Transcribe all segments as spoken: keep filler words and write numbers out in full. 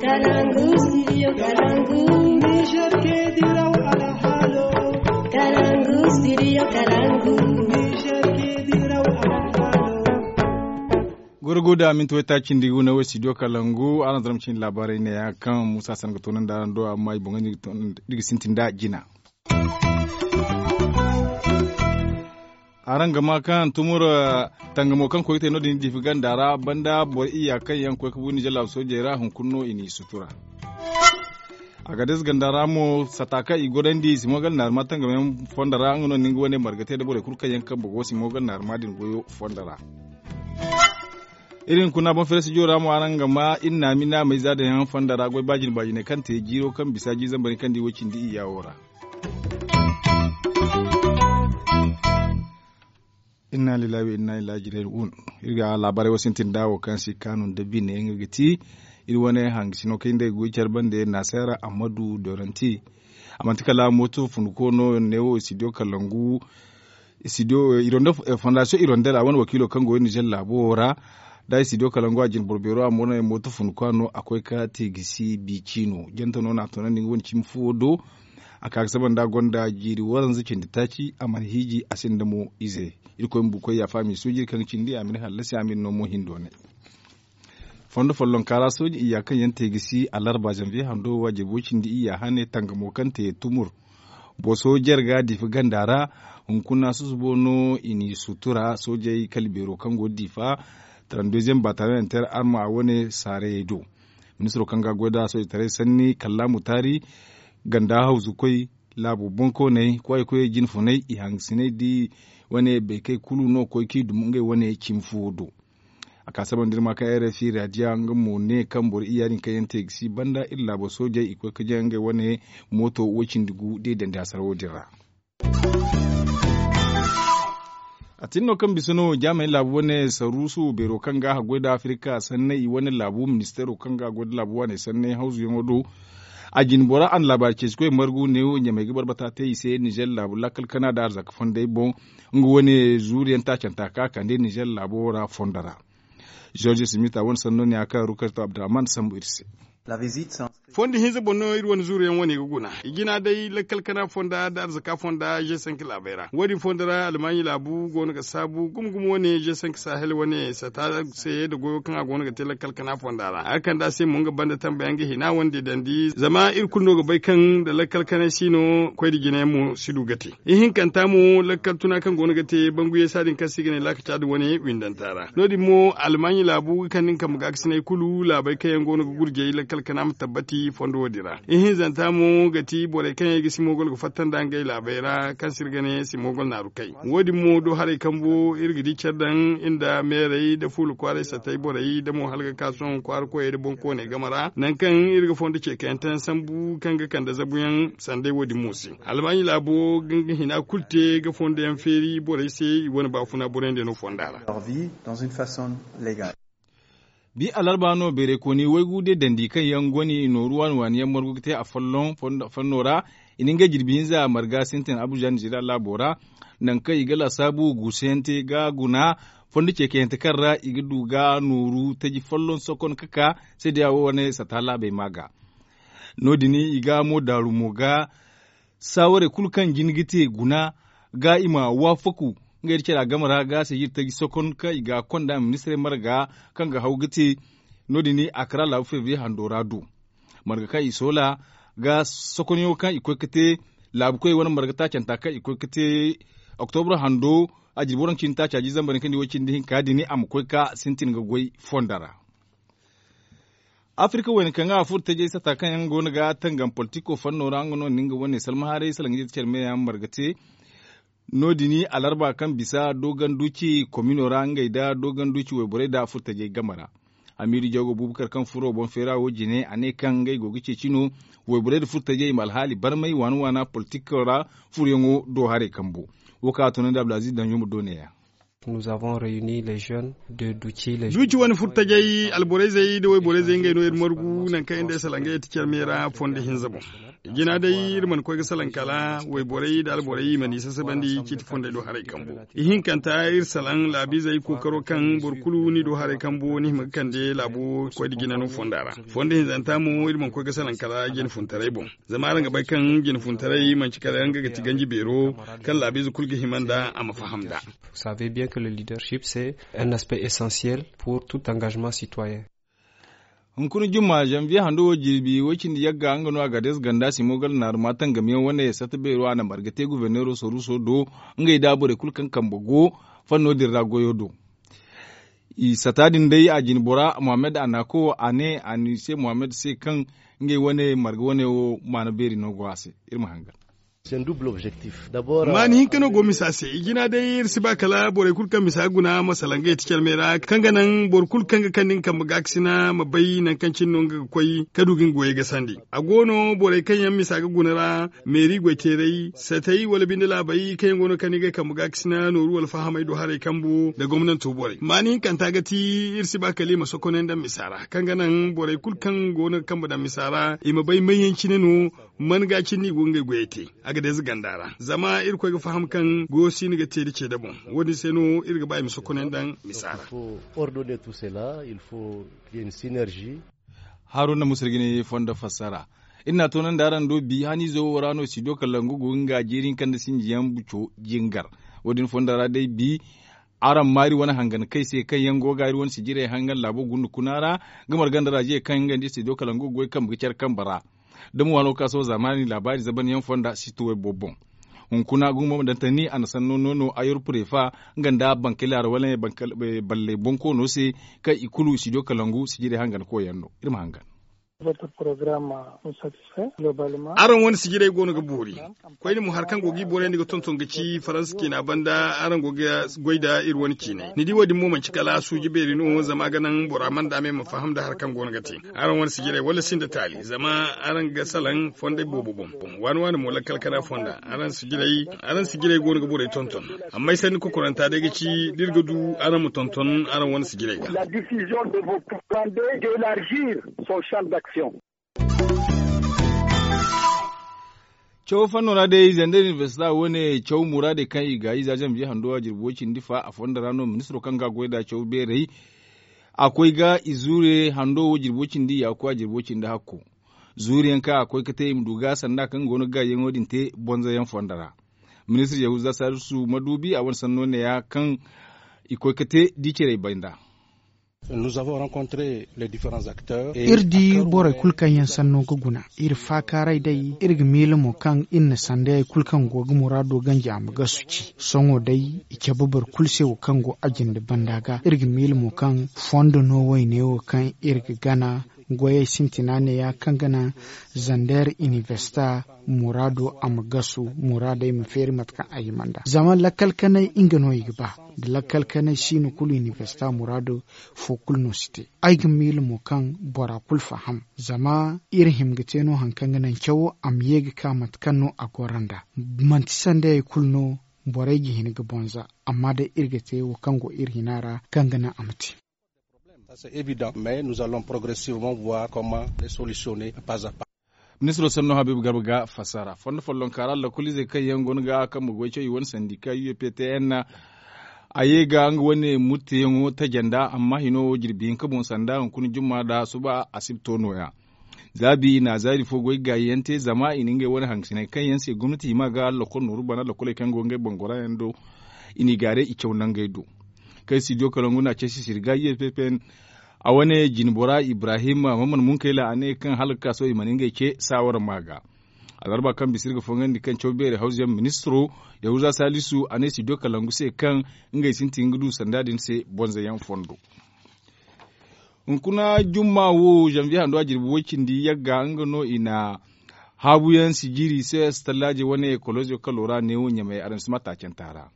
Kalangu, studio Kalangu. Niger ke diraw alhalo. Kalangu, studio Kalangu. Niger ke diraw alhalo. Goro go da minti wayta cindi gu na wo studio Kalangu, araŋ zarma cindi laabaarey ne ya kaŋ Musa San ga toonandi araŋ do, amma i boŋ ga sintin da jina. Araŋ ga ma kaŋ tumur tangamo kaŋ koy ga te no- din diifi ganda ra banda boro iyya kaŋ yaŋ koy ga bu ninzeer laabu soojey ra hunkuna no i n'i sutura. Agades ganda ra mo sata kaŋ i gorandi simogal naarima tangamo yaŋ fondo ra nga no ni nga wane marga te nda borey kulu kaŋ yaŋ kambe go simogal naarima din goyo fondo ra. Iri hunkuna boŋ feere studio ra mo araŋ ga ma iri naami naamey za daŋ yaŋ fondo ra goy baajine baajiney kaŋ te jiiro kaŋ bisa jiizambari kaŋ di way cindi iyya wo ra. Inna lillahi wa inna ilaihi raji'un. Iri ga laabaarey wo sintin da wo kaŋ si kaanu nda bine nga ga ti iri wane hangasino kaŋ iri nda ay ga goy care bande naseera ammadu doranti. A manti kala mooto funduko no ne wo studio kalangu studio ironde fondasiyo ironde ra wane wakiilo kaŋ go nizer laabo wo ra. Da studio kalangu a jine boro beero a mo no ay mooto funduko no a koy ka te gisi bi ciino jante no no a toonandi nga wane cimi fuwo do. A ka ga saba nda a gonda jiiri waranza cindi taaci a mana hiiji a sinda mo ize. Irkoy ma bukoy yaafa a m'i suuji iri kaŋ ga cindi a ma ni hallasi a ma iri no mo hindo ne. Fondo follonka ra sooji iyya kaŋ yaŋ te ga si alarba zanviye hando waajibo cindi iyya hane tangamo kaŋ te tumur boso jarga diifa ganda ra. Hunkuna susubo no i n'i sutura soojey kala beero kaŋ go diifa. Trente-deuxième bataillon inter arma wane saarayey do. Ministiro kaŋ ga a goy nd'a soojitaray sanni kallaamu taari ganda hawzukoy laabu bonkooney kwaay koyey jinfuney i hangasiney di wane beekey kulu no koy kaŋ i duma ngey wane cimi fuwo do. A ka saba nda iri ma kaŋ rfi raadiya nga mo ne kaŋ boro iyya din kaŋ yaŋ te ga si banda iri laabo soojey i koy ka jaŋ ngey wane mooto way cindi gu da i dandi hasara wo- din ra. A tin no kaŋ bisa no jaamey laabu wane saruusu beero kaŋ ga a goy nda afirika sanney i wane laabu ministeero kaŋ ga a goy nda laabu waaney sanney hawzuyaŋo do. A jine bora a na laabaari ceeci koy margu neewo ɲamey ga barbata te i se nizer laabu lakkal kana nda arzaka fondey boŋ. Nga wane zuuru yaŋ taacanta ka a kande nizer laabo ra fondo ra. George smith a wane sanno ne a kaŋ rukarto abdurrahman sambu iri se. Fondo hinza boŋ no iri wane zuuru yaŋ wane ga guna i jina day lakkal kana fonda nda arzaka fonda g cinq laabey ra wo- din fondo ra almaaɲi laabu go no ga saabu gumo gumo wane g cinq sahel wane sata se nda goyo kaŋ a go no ga te lakkal kana fonda ra a ga kande a se mo nga banda tambe yaŋ ga hina wane deedandi zama iri kulu no ga bay kaŋ nda lakkal kanay si no koy nda jina yaŋ mo si du ga te. Ihinkanta mo lakkal tuna kaŋ go no ga te bangu yeesa din kaŋ se i ga ne laakaca nda wane windanta ra no- din mo almaaɲi laabu ga kande nga kambe gaakasinay kulu laabey kaŋ yaŋ go no ga gurjay lakkal kana ma tabbati fondo wo- din ra. Ihinzanta mo ga ti borey kaŋ yaŋ i ga simogol ga fatta nda ngey laabey ra kaŋ se iri ga ne simogol naaru kay. Wo- din mo do haray kambo iri ga di care daŋ iri nda meerey nda fuula kwaaray satay borey nda mo hala ga ka sohõ kwaara koyey nda boŋkooney game ra nangu kaŋ iri ga fondo ceekayaŋ tayaŋ sambu kaŋ ga kande zabuyaŋ sanday wo- din mo se. Almaaɲi laabo ga nga hina kulu te ga fondo yaŋ feeri borey se i wane baafuna borey nda no fonda ra. Bi alarba no beerey kooni waygu de dandi kaŋ yaŋ goni nooru waani waani yaŋ margu ga te a folloŋ fanno ra. I na ngey jirbi hinza marga sintin abuja nizeeriya laabo ra. Nangu kaŋ i ga laasaabu guusu yaŋ te ga guna fondo ceekayante kaŋ ra i ga du ga nooru taji folloŋ sokon ka ka seedeya wo wane sata laabey ma ga. No- din i ga mo daaru mo ga saawarey kulu kaŋ jin ga te guna ga i ma waafaku ngey nda care a game ra ga se iri taji sokon kaŋ i ga konda ministirey marga kaŋ ga haw ga te. No- din a kara laabu febriye hando ra du marga kaŋ i soola ga sokonyaŋo kaŋ i koy ga te laabu koy wane marga taacanta kaŋ i koy ga te oktobra hando a jirbi waranka cindi taaca jiizamba din kaŋ di way cindi hinka din a ma koy ga sintin ga goy fondo ra. Afirka wayna kaŋ ga a furo tajey sata kaŋ yaŋ go no ga tangam politiko fanno ra nga no na nga wane salma haaray salaŋ ga jate care meyaŋ marga te. No- din alarba kaŋ bisa dogon duuci komino ra ngey nda dogon duuci wayborey nda a furo tajey game ra. Amiiru jago bubakar kaŋ furo boŋ feera wo jine a ne kaŋ ngey go ga ceeci no wayborey nda furo tajey i ma alhaali barmay waana waana politiko ra furoyaŋo do haray kambo. Wo kaŋ a tunandi abdulaziz danjo ma do ne- ya. Nous avons réuni les jeunes de duci les duci wane furtajey alborayzey nda wayborayzey ngey no iri margu nangu kaŋ iri nda ay salangey ti care meera fondo hinza boŋ. Jina day iri mana koy ga salaŋ kala wayborey nda alborey i mana i sasabandi ciiti fondey do haray kambo. Ihinkanta iri salaŋ laabiizey kookaro kaŋ boro kulu n'i do haray kambo ni hima ga kande laabo koy nda jina no fonda ra. Fondo hinzanta mo iri mana koy ga salaŋ kala jina funtaray boŋ. Zama araŋ ga bay kaŋ jina funtaray manci kala nga ga ti ganji beero kaŋ laabiize kulu ga hima nda a ma faham nd'a. Vous savez bien que le leadership c'est un aspect essentiel pour tout engagement citoyen. Hunkuna jumma zanviye hando wo jirbi way cindi yagga nga no a ga dees ganda simo gala naaru ma tangamiyaŋ wane sata beero a na marga te guberneero soruso do. Ngey da borey kulu kaŋ kambe go fanno din ra goyo do. I sata din day a jine bora mohammed a na ko a ne a ni se mohammed se kaŋ ngey wane marga wane wo maana beeri no go a se. Iri ma hangan. Maani hinka no go misa se i jina day iri si ba kala borey kulu kaŋ misa ga guna ma salaŋ ga yeti care meera kaŋ ga naŋ boro kulu kaŋ ga kande nga kambe gaakasina ma bay nangu kaŋ cine no nga ga koy ka du ga nga goyey gasandi. A go no borey kaŋ yaŋ misa ga guna ra meeri goyteeray satay wala binde laabey kaŋ yaŋ go no ga kande ngey kambe gaakasina nooru wala fahamey do haray kambo nda gomnanto borey maani hinkanta ga ti iri si ba kala i ma sokonay nda misa ra kaŋ ga naŋ borey kulu kaŋ go no ga kambe daŋ misa ra i ma bay may yaŋ cine no. Man ga cindi i go ga ngey goyey te a ga deeza ganda ra zama irkoy ga faham kaŋ goyo si ni ga te da ceede boŋ. Wo- din se no iri ga ba i ma sokonay nda misa ra. Haruna musir ga ne fondo fassara. Iri na a toonandi araŋ do bi haniizo wo ra no sido kalangu go ga nga jeeri hinka nda sinji yaŋ buco jingar. Wo- din fondo ra day bi araŋ ma iri wane hangan kay se kaŋ yaŋ go ga iri wane sijirey hangan laabo gunda kuna ra ga marganda ra jiya kaŋ nga nda iri se do kala nga goy kambe ga care kambe ra. Da mo waano ga ka sohõ zaamaani laabaari zaban yaŋ fonda si tuway boobo boŋ. Hunkuna gumo ma daŋ tani a na sanno no no ayor purefa nga nda bankelaara wala balley bonkoono se kaŋ i kulu si do kala ngu sijirey hangan koy yaŋ no. Iri ma hangan. Araŋ wane sijirey go no ga boori. Koyne mo hari kaŋ go ga i borey nda ga tonton ga ci faransa ciina banda araŋ go ga goy nda iri wane ciiney ni di wo- din mo manci kala suuji beeri no zama a ga naŋ bora mana daame ma faham nda hari kaŋ go no ga te. Araŋ wane sijirey wala sinda taali zama araŋ ga salaŋ fondey boobo boŋ. Waani waani mo lakkal kana fonda araŋ sijirey go no ga borey tonton. Amma ay sanni kokoranta day ga ci da iri ga du araŋ ma tonton araŋ wane sijirey ga. Caw fanno ra day zander inibersita wane caw muraadey kaŋ i ga i za zanbiye hando a jirbi way cindi fa a fonda ra no ministiro kaŋ ga a goy nd'a caw beerey. A koy ga i zuure hando wo jirbi way cindi yaaku a jirbi way cindi hakko. Zuure yaŋ kaŋ a koy ga te i ma du ga sanda kaŋ go no ga gaayaŋo din te bonza yaŋ fonda ra. Ministir yahuza salisu maduubi a wane sanno neeya kaŋ i koy ga te di cerey bay nd'a. Iri di borey kulu kaŋ yaŋ sanno ga guna iri faakaaray day iri ga miila mo kaŋ iri na sandayey kulu kaŋ go ga muraado ganji a ma gasu ci. Sohõ day i cabe boro kulu se wo kaŋ go a jinde banda ga iri ga miila mo kaŋ fondo no wayne wo kaŋ iri ga gana. Goyey sintina neeya kaŋ ga naŋ zander inibersita muraado a ma gasu muraadey ma feeri mate kaŋ a hima nd'a zama lakkal kanay nga no i ga ba. Da lakkal kanay siino kulu inibersita muraado fo kulu no si te. Ay ga miila mo kaŋ bora kulu faham zama iri hima ga te no hari kaŋ ga naŋ cawo a ma ye ga ka mate kaŋ no a goro nd'a. Manti sandayey kulu no borey ga hin ga bonza amma day iri ga te wo kaŋ go iri hina ra kaŋ ga naŋ a ma te. Mais nous allons progressivement voir comment les solutions ne pas à pas. Ministiro sanno habiibu garba ga fassara fondo follonka ra lakkoliizey kaŋ yaŋ go no ga a kambe goy caw i wane sandika u e p t n. A ye ga nga wane murteyaŋo tajanda amma hino wo jirbi hinka boŋ sanda hunkuna jumma nda suba asibto nooya. Za bi i na zaari fo goy gaayi yaŋ te zama i na ngey wane hangasiney kaŋ yaŋ se gomnati hima ga lokol nooru bana lokoley kaŋ go ngey boŋ gora yaŋ do. I n'i gaaray i caw nangey do. Kaŋ studio kalangu na ceesi sirga u e p p n. A wane jinbora ibrahim maman munkayla a ne kaŋ hala ga ka sohõ i mana ngey ce saawara ma ga. Alarba kaŋ bisa iri ga fongandi kaŋ caw beeri hawzuyaŋ ministiro yahuza salisu a ne studio kalangu se kaŋ ngey sintin ga du sanda din se bonza yaŋ fondo. Hunkuna jumma wo zanviye hando a jirbi way cindi yagga nga no i na haabuyaŋ sijiri cs tallaaje wane kolozo kalo ra neewo ɲamay araŋ si ma taacanta ra.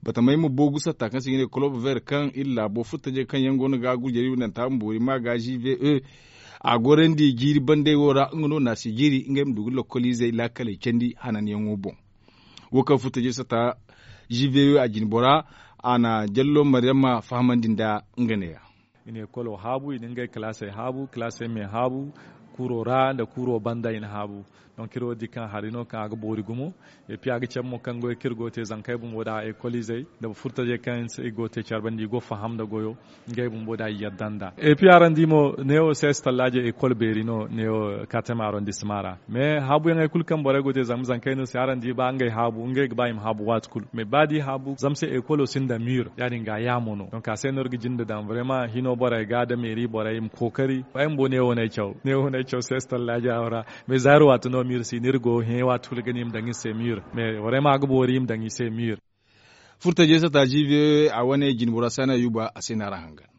Batamay ma boogu satta kaŋ se i ga ne kolob ver kaŋ iri laabo furtajey kaŋ yaŋ go no ga gurjari nanta ma boori ma ga g v e. A gorandi jiiri bandey wo ra nga no na sijiri ngey ma du ga lokkoliizey laakaley candi hananyaŋo boŋ. Wo kaŋ furtajey satta g v e a jinbora A na jallo maryama fahamandi nda nga neeya. I na ekolo haabu i na ngey kalaasey haabu kalaasey me haabu kuuro ra nda kuuro banda i na haabu. Donk iri wo di kaŋ hari no kaŋ a ga boori gumo. Epi a ga cabe mo kaŋ goyo kaŋ iri go ga te zankey bumbo nda ekolizey nda furtajey kaŋ se i go ga te care banda i go ga faham nda goyo. Ngey bumbo da i yadda nda epi araŋ di mo neewo se si tallaajey ekol beeri no neewo kateme arondissement ra. Mais haabuyaŋey kulu kaŋ borey go ga te zama zankey no se araŋ di ba ngey haabu ngey ga ba i ma haabu waati kulu mais ba da i haabu zama se ekolo sinda mur ya- din ga a yaamo no donk a se no iri ga jinde daŋ vraiment hino borey ga nda meeri borey i ma kookari ay bumbo neewo no ay caw neewo no ay caw se si tallaajey ra. Mais za iri waati no mur si no iri go hẽ waati kulu ga ne i ma daŋ iri se mur mais vraiment a ga boori i ma daŋ i se mur. Furtajey sata jiibi a wane jinbora saana yuuba a se no araŋ hangan.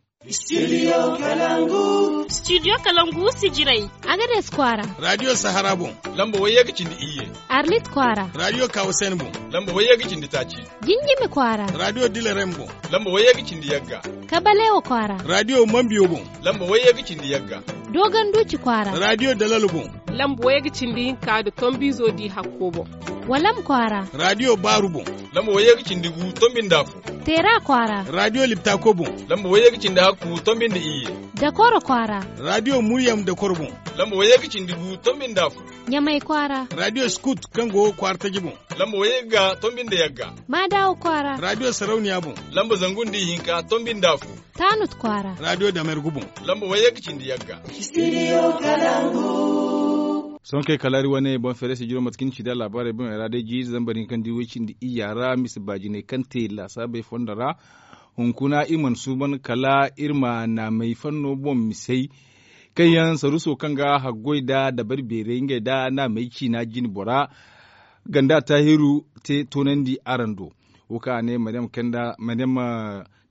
Studio kalangu sijirey. Agades kwaara. Radio sahara boŋ. Lamba wayye ga cindi iyye. Arlit kwaara. Radio kawasen boŋ. Lamba wayye ga cindi taaci. Jinjimi kwaara. Radio dilarem boŋ. Lamba wayye ga cindi yagga. Kabalewo kwaara. Radio mambiyo boŋ. Lamba wayye ga cindi yagga. Dogon duuci kwaara. Radio dalalo boŋ. Lamba wayye ga cindi hinka nda tombiizo di hakko boŋ. Walam kwaara. Radio baaru boŋ. Lamba wayye ga cindi gu tombi nda afo. Teera kwaara. Radio liptako boŋ. Lamba wayye ga cindi hakku tombi nda iyye. Dakoro kwaara. Radio muryam dakoro boŋ. Lamba wayye ga cindi gu tombi nda afo. Ɲamay kwaara. Radio skut kaŋ go kwaara taji boŋ. Lamba wayye ga tombi nda yagga. Maadawo kwaara. Radio sarauniya boŋ. Lamba zangu nda ihinka tombi nda afo. Taanut kwaara. Radio damergu boŋ. Lamba wayye ga cindi yagga. Sohõ kaŋ ay kalaari wane boŋ feere sijiro mate kaŋ ni ci da laabaarey boŋey ra day jiiri zambar hinka nda way cindi iyya ra mise baajiney kaŋ te laasaabey fondo ra. Hunkuna iri mana suuban kala iri ma naamey fanno boŋ misey kaŋ yaŋ saruuso kaŋ ga haggoy nda dabari beerey ngey nda naamey ciina jine bora. Ganda taahiru te toonandi araŋ do. Wo kaŋ a ne maryam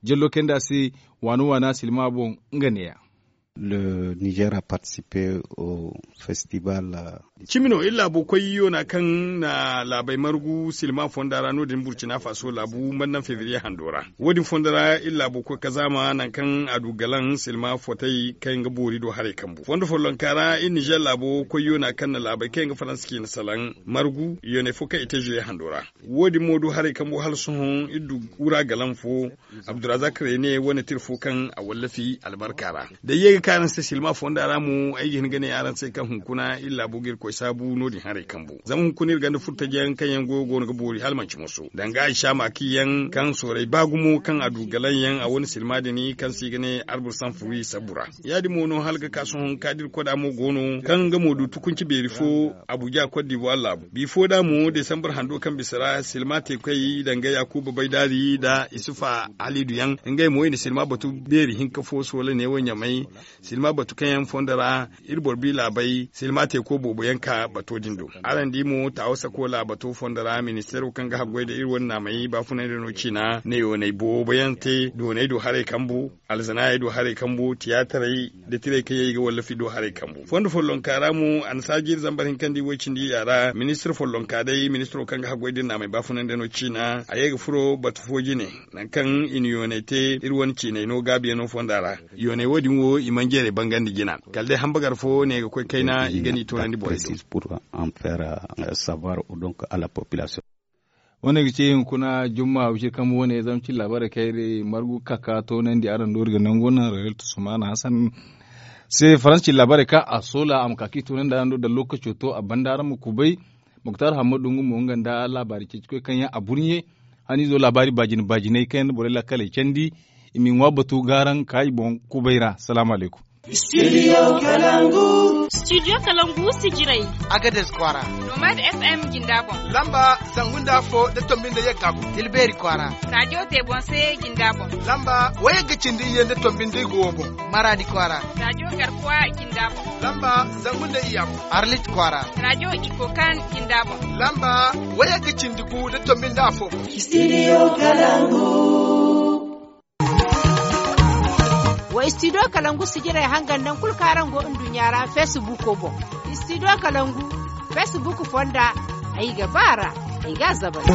jallo kayndi a se waana waana silma boŋ. Nga neeya. Le niger a participe au festival. Cimi no iri laabo koy yoona kaŋ na laabey margu silma fonda ra no- din burcina faso laabu mandan fevrier hando ra. Wo- din fondo ra iri laabo koy kazaama nangu kaŋ a du galaŋ silma fotey kaŋ ga boori do haray kambu fondo follonka ra iri niger laabo koy yoona kaŋ na laabey kaŋ yaŋ ga faransa ciina salaŋ margu yooney fo kaŋ i te juye hando ra. Wo- din mo du haray kambu hala sohõ iri du wura galaŋ fo. Abdurazak rene wane tira fo kaŋ a wallafi albarka ra da ye ga ka araŋ se silma fonda ra mo ay ga hin ga ne araŋ se kaŋ hunkuna iri laabo ga irkoy saabu no- din haray kambu zama hunkuna iri ganda furtajiyaŋ kaŋ yaŋ goyo go no ga boori hala manci moso danga ay saama kaŋ yaŋ kaŋ sooray ba gumo kaŋ a du galaŋ yaŋ a wane silma din kaŋ se i ga ne arbur sanfuri sabbu ra. Ya- din mo no hala ga ka sohõ kaŋ da iri koda mo go no kaŋ nga mo du tukunci beeri fo abuja kot dibuwa laabu bifo da mo desambar hando kaŋ bisa ra silma te koy danga yakuba baydaari nda isufa halidu yaŋ. Ngey mo i na silma batu beeri hinka fo soola neewo ɲamay silma batu kaŋ yaŋ fondo ra iri boro bi laabey silma teeko boobo yaŋ ka bato din do. Araŋ di mo taawo sakola bato fondo ra ministeero kaŋ ga haggoy nda iri wane naamey baafunay nda no ciina neewo nay boobo yaŋ te doonay do haray kambu alzanaayey do haray kambu tiyaataray da tiray kaŋ yaŋ i ga wallafi do haray kambu fondo follonka ra mo a na saaji iri zambar hinka nda i way cindi ya ra ministir follonka day ministiro kaŋ ga haggoy da iri naamey baafunay nda no ciina a ye ga furo batu fo jine. Nangu kaŋ i na yooney te iri wane ciiney no gaabiyaŋo fonda ra yooney wo- din wo i mana jeerey bangandi jina kala day hambagar fo ne ga koy kayna i ga ni toonandi borey se. Wane ga ci hunkuna jumma wiciri kambu wane zama cin laabaarey kaŋ iri margu kaka toonandi araŋ do iri ga nangu naŋ rayal tusumana hasan se faransa cin laabaarey kaŋ a soola a ma ka kaŋ i toonandi araŋ do da lookaco to a banda araŋ ma kubay. Muktar hammadu nga mo nga nda laabaari ceeci koy kaŋ yaŋ a burɲe haniizo laabaari baajine baajiney kaŋ yaŋ na borey laakaley candi. I m'i ŋwa batu gaaraŋ ka i boŋ kubay ra salaamu alaykum. Studio kalangu sijirey. Agades kwaara. Nomad fm jinda boŋ. Lamba zangu nda afo nda tombi nda yagga boŋ. Tilbeeri kwaara. Radio tebonse jinda boŋ. Lamba wayagga cindi iyye nda tombi nda igo boŋ. Maraadi kwaara. Radio garkuwa jinda boŋ. Lamba zangu nda iyya boŋ. Arlit kwaara. Radio ikokan jinda boŋ. Lamba wayagga cindi gu nda tombi nda afo boŋ. Studio kalangu. Wa studio kalangu sijirey hangan naŋ kulu kaŋ araŋ go nduɲɲa ra facebook boŋ. Studio kalangu facebook fonda ay ga ba ra. Ay ga a zabari.